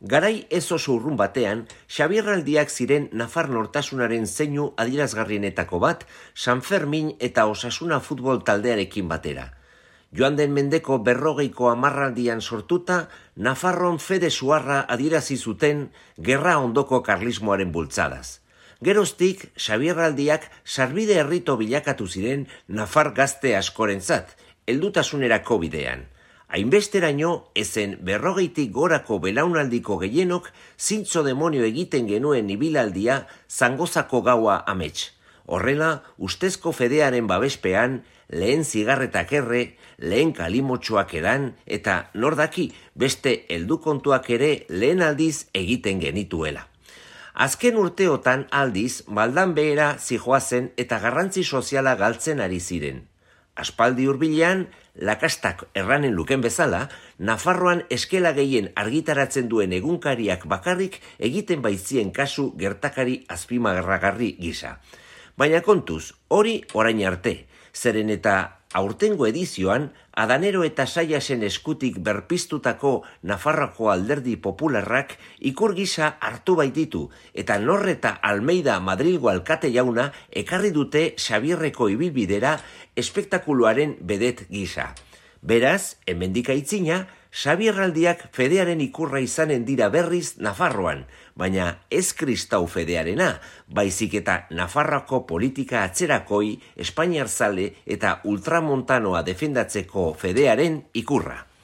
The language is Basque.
Garai ez oso urrun batean, Xabierraldiak ziren Nafar nortasunaren zeinu adierazgarrienetako bat, San Fermin eta Osasuna futbol taldearekin batera. Joan den mendeko 40ko hamarraldian sortuta, Nafarron fede suarra adierazi zuten gerra ondoko karlismoaren bultzadaz. Geroztik, Xabierraldiak sarbide herrito bilakatu ziren Nafar gazte askorentzat, heldutasunerako bidean. Hainbesteraino, ezen 40tik gorako belaunaldiko gehienok zintzo demonio egiten genuen ibilaldia Zangozako gaua amets. Horrela, ustezko fedearen babespean, lehen zigarretak erre, lehen kalimotxoak edan, eta nordaki beste heldukontuak ere lehen aldiz egiten genituela. Azken urteotan aldiz, maldan behera zijoazen eta garrantzi soziala galtzen ari ziren. Aspaldi hurbilean, lakastak erranen luken bezala, Nafarroan eskela gehien argitaratzen duen egunkariak bakarrik egiten baitzien kasu gertakari azpimarragarri gisa. Baina kontuz, hori orain arte, zeren eta aurtengo edizioan, Adanero eta Saiasen eskutik berpiztutako Nafarroako alderdi popularrak ikur gisa hartu baititu, eta Norreta Almeida Madrilgo alkate jauna ekarri dute Xabierreko ibilbidera espektakuluaren bedet gisa. Beraz, hemendik aitzina, Xabierraldiak fedearen ikurra izanen dira berriz Nafarroan, baina ez kristau fedearena, baizik eta Nafarroako politika atzerakoi, espainiarzale eta ultramontanoa defendatzeko fedearen ikurra.